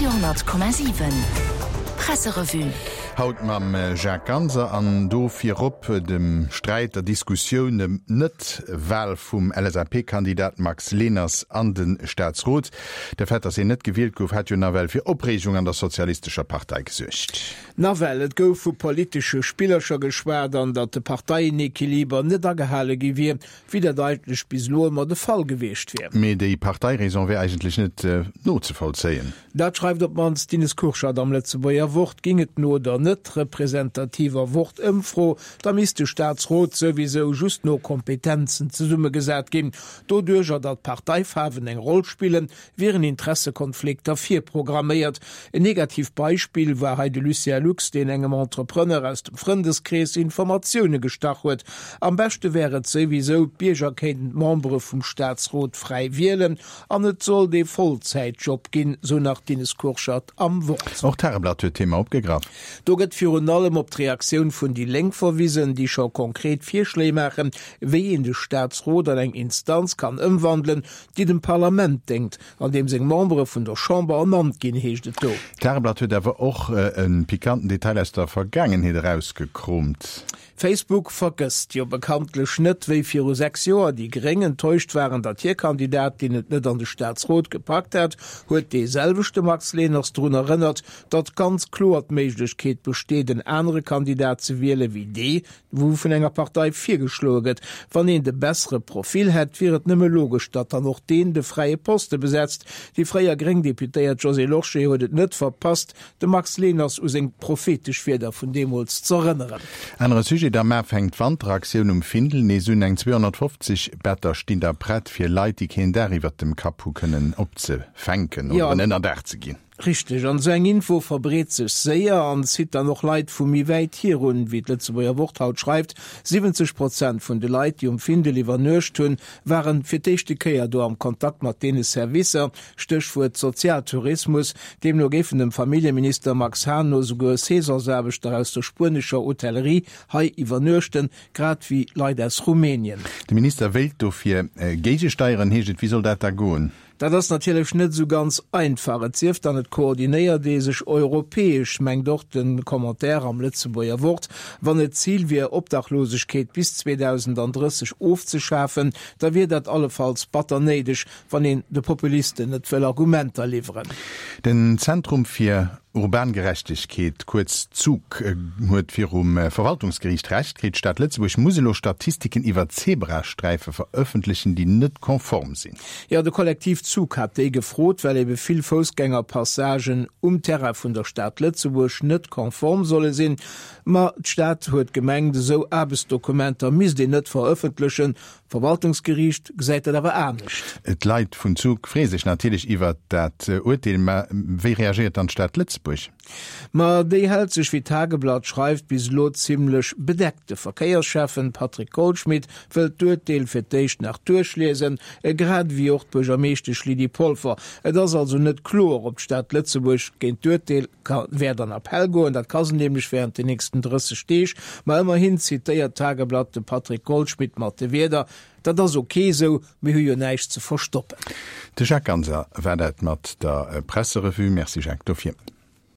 Radio 10,7 Presserevue. Haut mam Jacques Ganser an do virop dem Sträit, der Diskussioun ëm d'Net-Wal vum LSAP-Kandidat Max Leners an de Staatsrot. De Fait, datt hien net gewielt gouf, hat jo nawell fir Opreegung an der Sozialistescher Partei gesuergt. Nawell, et gouf vu politesche Spillercher geschwat an datt de Parteienequiliber net agehale gi wier, wéi dat eigentlech bis elo ëmmer de Fall gewiescht wier. Mee déi Parteiraison wär eigentlech net nozevollzéien. Dat schreift op d'mannst d'Ines Kurschat am Lëtzebuerger Wort. Ging et no der net representativer Wort-Ëmfro, da misst de Staatsrot souwisou just no Kompetenzen zesummegesat ginn. Doduercher, datt d'Parteifaarwen eng Roll spillen, wieren Interessekonflikter virprogramméiert. En negativt Beispill war hei de Lucien Lux, deen engem Entrepreneur aus dem Frëndeskrees Informatioune gestach huet. Am beschte wär et souwisou, d'Bierger kéinten d'Membere vum Staatsrot fräi wielen an et sollt ee Vollzäitjob ginn, sou nach d'Ines Kurschat am Wort. Och d'Tageblatt huet d'Thema opgegraff. Do gëtt virun allem op d'Reaktioun vun déi Lénk verwisen, déi scho konkret Virschléi maachen, wéi een de Staatsrot an eng Instanz kann ëmwandelen, déi dem Parlament déngt, an deem seng Membere vun der Chamber ernannt ginn, heescht et do. D'Tageblatt huet awer och e pikanten Detail aus der Vergaangenheet erausgekroomt. Facebook vergësst jo bekanntlech net, wéi viru 6 Joer déi Gréng enttäuscht waren, datt hir Kandidatin et net an de Staatsrot gepackt hat, huet dee selwechte Max Leners drun erënnert, datt ganz kloer d'Méiglechkeet besteet, en anere Kandidat ze wiele wéi dee wou vun enger Partei virgeschloe gëtt. Wann een de bessere Profil hätt, wier et nëmme logesch, datt dann och deen de fräie Poste besetzt. Déi fréier gréng Deputéiert Josée Lorsché huet et net verpasst, de Max Leners u seng prophetesch Wierder vun deemools z'erënneren. Anere Sujet, Am Mar fänkt d'Wanteraktioun um Findel nees un. Eng 250 Better stinn da prett, fir Leit, déi keen Daach iwwert dem Kapp hu kënnen opzefänken oder en Ënnerdaach ze ginn. Richteg, an esou eng Info verbreet sech séier an zitt dann och Leit vu méi wäit hier un. Wéi d'Lëtzebuerger Wort haut schreift, 70 Prozent vun de Leit, déi um Findel iwwernuecht hunn, ware fir d'éischte Kéier do am Kontakt mat deene Servicer. Stéchwuert Sozialtourismus. Deemno géifen dem Familljeminister Max Hahn no souguer Saisonsaarbechter aus der spuenescher Hotellerie hei iwwernuechten, grad wéi Leit aus Rumänien. De Minister wéilt dofir géigesteieren, heescht et. Wéi soll dat da goen? Dat ass natierlech net esou ganz einfach, et sief dann et koordinéiert ee sech europäesch, mengt och de Commentaire am Lëtzebuerger Wort. Wann et d'Zil wier, Obdachlosegkeet bis 2030 ofzeschafen, da wier dat allefalls batter néideg, wann een de Populisten net wëll Argumenter liwweren. Den Zentrum fir Urban Gerechtegkeet, kuerz ZUG, huet virum Verwaltungsgeriicht Recht kritt. D'Stad Lëtzebuerg muss elo Statistiken iwwer Zebrasträife verëffentlechen, déi net konform sinn. Jo, de Kollektiv ZUG hat déi gefrot, well ebe vill Foussgängerpassagen um Terrain vun der Stad Lëtzebuerg net konform solle sinn. Ma d'Stad huet gemengt, esou Aarbechtsdokumenter misst een net verëffentlechen. D'Verwaltungsgeriicht gesäit dat awer anescht. D'Leit vun Zug freeë sech natierlech iwwert dat Urteel. Mä wéi reagéiert dann d'Stad Lëtzebuerg? Ma déi hält sech, wéi d'Tageblatt schreift, bis elo zimmlech bedeckt. De Verkéiersschäffen Patrick Goldschmidt wëllt d'Urteel fir d'éischt nach duerchliesen, grad ewéi och d'Buergermeeschtesch Lydie Polfer. Et ass also net kloer, ob d'Stad Lëtzebuerg géint d'Urteel ka wäert an Appell goen, dat ka se nämlech während den nächsten 30 Deeg. Ma ëmmerhin zitéiert d'Tageblatt de Patrick Goldschmidt mat de Wierder, Dat ass ok esou, mir hu jo näischt ze verstoppen. De Jacques Ganser war dat mat der Presserevue. Merci Jacques dofir.